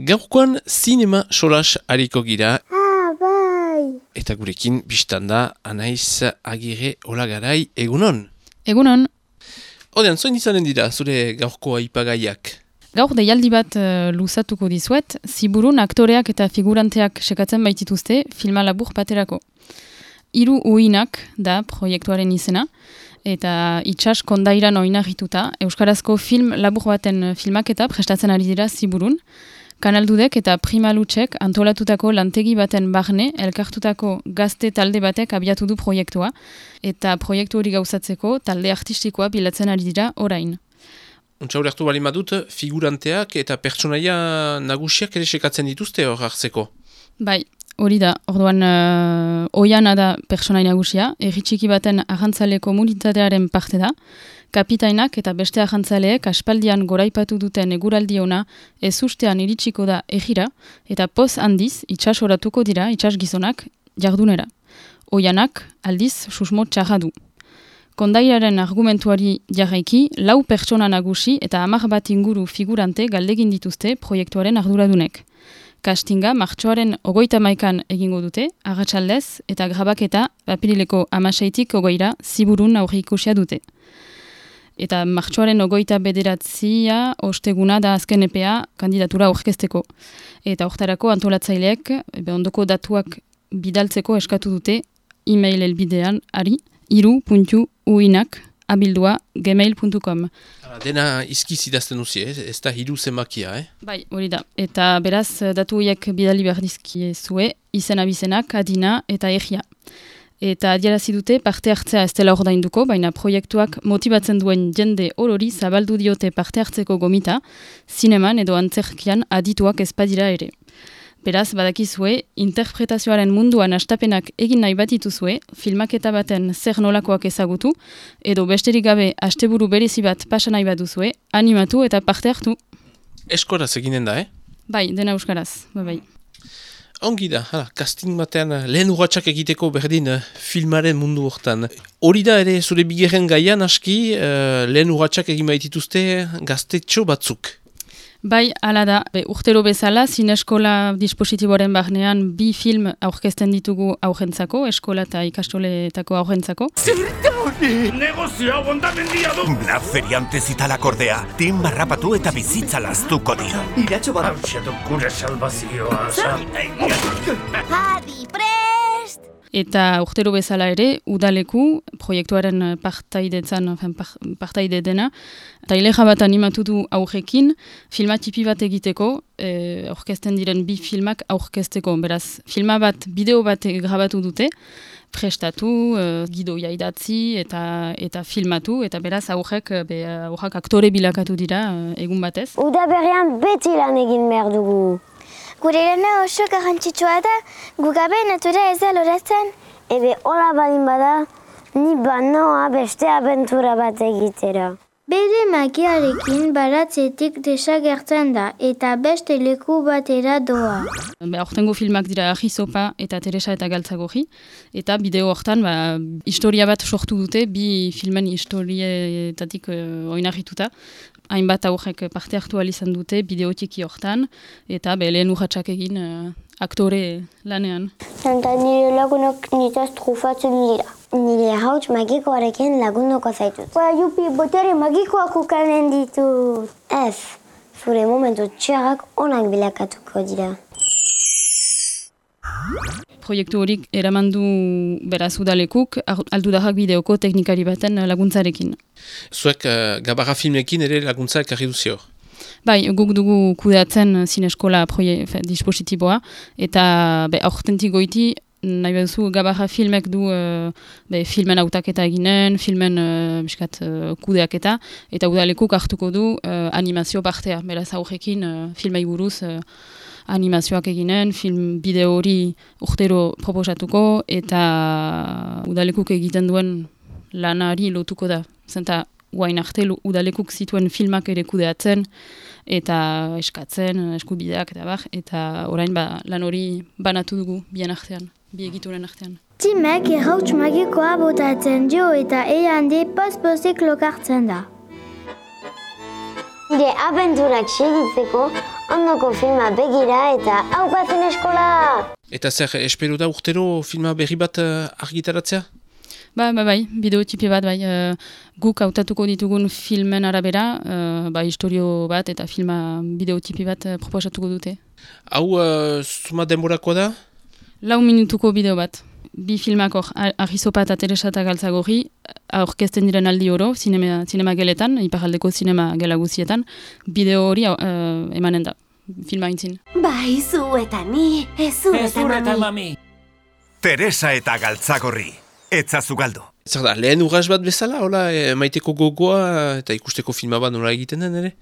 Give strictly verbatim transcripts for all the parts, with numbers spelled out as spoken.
Gaurkoan zinema solas hariko gira. Ah, bai! Eta gurekin biztanda Anaiz Agirre Olagarai, egunon? Egunon. Odean, zoin izanen dira zure gaurko aipagaiak? Gaur deialdi bat uh, luzatuko dizuet, ziburun aktoreak eta figuranteak sekatzen baitituzte filma labur baterako. Hiru uinak da proiektuaren izena, eta itsas kondairan oinarrituta euskarazko film labur baten filmaketa prestatzen ari dira ziburun. Kanaldudek eta Primalutsek antolatutako lantegi baten barne elkartutako gazte talde batek abiatu du proiektua, eta proiektu hori gauzatzeko talde artistikoa bilatzen ari dira orain. Untsa horretu bali madut, figuranteak eta pertsonaia nagusiak ere sekatzen dituzte hor hartzeko. Bai, hori da, orduan uh, oiana da pertsonai nagusia, erritxiki baten arrantzale komunitatearen parte da, kapitainak eta beste arrantzaleek aspaldian goraipatu duten eguraldi ona ezustean iritsiko da egira, eta poz handiz itsas oratuko dira itsas gizonak jardunera. Oianak aldiz susmo txarra du. Kondairaren argumentuari jarraiki, lau pertsona nagusi eta hamar bat inguru figurante galdegin dituzte proiektuaren arduradunek. Castinga martxoaren ogoita maikan egingo dute, arratsaldez eta grabaketa apirileko hamaseitik ogoira ziburun aurreikusia dute. Eta martxoaren ogoita bederatzia osteguna da azken epea kandidatura aurkezteko. Eta hortarako antolatzaileek ondoko datuak bidaltzeko eskatu dute e-mail elbidean ari iru puntu uinak abildua gmail puntu com. Dena izkiz idazten duzi, eh? Ez da hiru zenbakia, eh? Bai, hori da. Eta beraz, datu horiek bidali behar dizkie zue, izen abizenak, adina eta egia. Eta adierazi dute parte hartzea ez dela ordainduko, baina proiektuak motibatzen duen jende orori zabaldu diote parte hartzeko gomita, zineman edo antzerkian adituak ezpadira ere. Beraz, badakizue, interpretazioaren munduan astapenak egin nahi bat dituzue, filmaketa baten zer nolakoak ezagutu, edo besterik gabe asteburu berezi bat pasa nahi bat duzue, animatu eta parte hartu. Eskoraz eginen da, eh? Bai, dena euskaraz, bai bai. Ongi da, hala, casting batean lehen urratsak egiteko berdin filmaren mundu hortan. Hori da ere zure bigarren gaian aski, uh, lehen urratsak egin baitituzte gaztetxo batzuk. Bai, ala da, be, urtero bezala, zineskola dispositiboaren barnean bi film aurkezten ditugu aurrentzako, eskola eta ikastoletako aurrentzako. Zerta hori! Negozioa bondamendia du! Black feriante zitalak ordea, tin barrapatu eta bizitza laztuko dira. Iratxo bat... Hauxetu gure salvazioa, Adi, prest! Eta urtero bezala ere, udaleku, proiektuaren partaidetzan, partaide dena, taileja bat animatu du aurrekin, filma tipi bat egiteko, e, aurkezten diren bi filmak aurkezteko. Beraz, filma bat, bideo bat grabatu dute, prestatu, e, gidoia idatzi eta, eta filmatu, eta beraz aurrek, be, aurrak aktore bilakatu dira egun batez. Uda berrian beti lan egin behar dugu. Gure lana oso garrantzitsua da, gugabe natura ez da loratzen. Ebe hola balin bada, ni banoa beste abentura bat egitera. Bere magiarekin baratzetik desagertzen da eta beste leku batera doa. Hortengo filmak dira Ahizopa eta Teresa eta Galtzagorri, eta bideo hortan ba, historia bat sortu dute, bi filmen historietatik uh, oinarrituta. Hainbat aurrek parte hartu izan dute bideotiki hortan, eta be, lehen urratsak egin uh, aktore lanean. Eta nire lagunok nitaz trufatzen dira. Nire hauts magikoarekin lagunoko zaitut. Ba, jupi, botere magikoak ukanen ditut. Ez, zure momentu txarrak onak bilakatuko dira. Proiektu horik eramandu beraz udalekuk, aldudarrak bideoko teknikari baten laguntzarekin. Zuek uh, gabarra filmekin ere laguntza ekarri duzio? Bai, guk dugu kudeatzen zineskola proie, dispositiboa, eta be, aurtentik goiti, nahi beduzu gabarra filmek du uh, be, filmen autaketa eginen, filmen uh, biskat, uh, kudeaketa, eta udalekuk hartuko du uh, animazio partea, beraz aurrekin uh, filmei buruz uh, animazioak eginen, film bideo hori urtero proposatuko, eta udalekuk egiten duen lanari lotuko da. Zenta, guain arte udalekuk zituen filmak ere kudeatzen, eta eskatzen, eskubideak eta bar, eta orain ba, lan hori banatu dugu bien artean, bi egituren artean. Timek errauts magikoa botatzen dio eta eande post-postek lokartzen da. Nire abenturak segitzeko ondoko filma begira eta haupatzen eskola! Eta zer, espero da urtero filma berri bat uh, argitaratzea? Ba, ba, bai, bideotipi bat, bai, uh, guk hautatuko ditugun filmen arabera, uh, ba, historio bat eta filma bideotipi bat uh, proposatuko dute. Hau, uh, zuma denborakoa da? Lau minutuko bideo bat. Bi filmak hor, Argizopa eta Teresa eta Galtzagorri, aurkezten diren aldi oro, zinema, zinema geletan, iparaldeko zinema gela guzietan, bideo hori uh, emanen da, filma intzin. Bai, zu eta ni, ez zu eta mami. Teresa eta Galtzagorri. Etzazu galdu. Zer da, lehen urras bat bezala, hola, e, maiteko gogoa eta ikusteko filma bat nola egiten den, ere?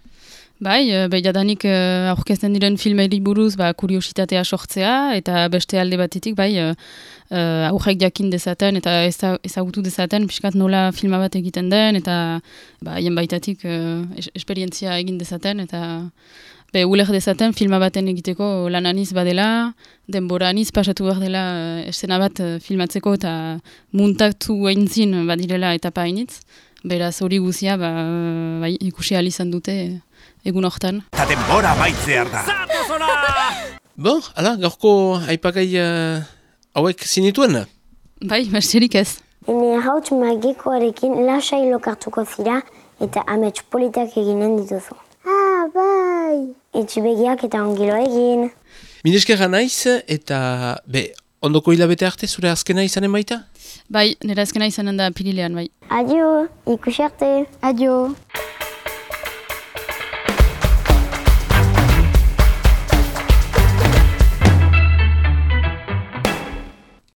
Bai, behiadanik uh, aurkezten diren filmeri buruz ba, kuriositatea sortzea, eta beste alde batetik, bai, uh, aurrek jakin dezaten, eta ezagutu dezaten, pixkat nola filma bat egiten den, eta ba, hien baitatik uh, es esperientzia egin dezaten, eta be, uler dezaten filma baten egiteko lan aniz badela, denbora aniz pasatu behar dela uh, eszena bat uh, filmatzeko, eta muntatu eintzin badirela etapa hainitz. Beraz hori guzia ba, bai, ikusi ahal izan dute egun hortan. Ta denbora maitzear da! Bon, ala, gaurko aipagai uh, hauek zinituen? Bai, besterik ez. Ene hauts magikoarekin lasai lokartuko zira eta amets politak eginen dituzu. Ah, bai! Etxibegiak eta ongilo egin. Mineskerra naiz eta be, ondoko hilabete arte zure azkena izanen baita? Bai, nire azkena izanen da pirilean, bai. Adio, ikusi arte. Adio.